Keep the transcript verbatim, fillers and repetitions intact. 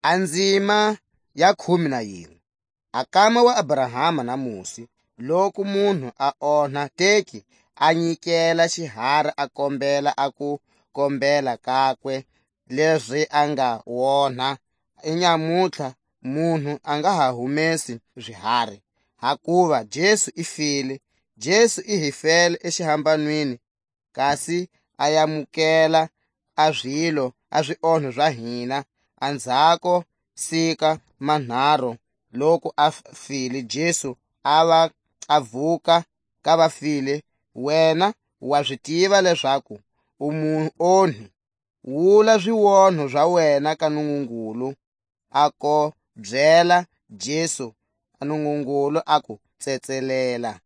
A nzima ya khume na yinwe. A kama wa Abrahama na Mosi, loku munhu a onha teki, a nyikela xihari, a kombela a ku kombela kakwe lezi a nga wonha. I nyamutlha munhu a nga ha humesi zihari, hakuva Jesu i file. Jesu i hi fele exihambanweni, kasi a yamukela a zilo, a zionho za hina. Anzhako sika manharu, loku a f-, file Jesu, a va a vuka ka vafile. Wena wa zi tiva lezaku u muonhi. Wula zionho za wena ka Nungungulu, a ko byela Jesu, a Nungungulu a ku tsetselela.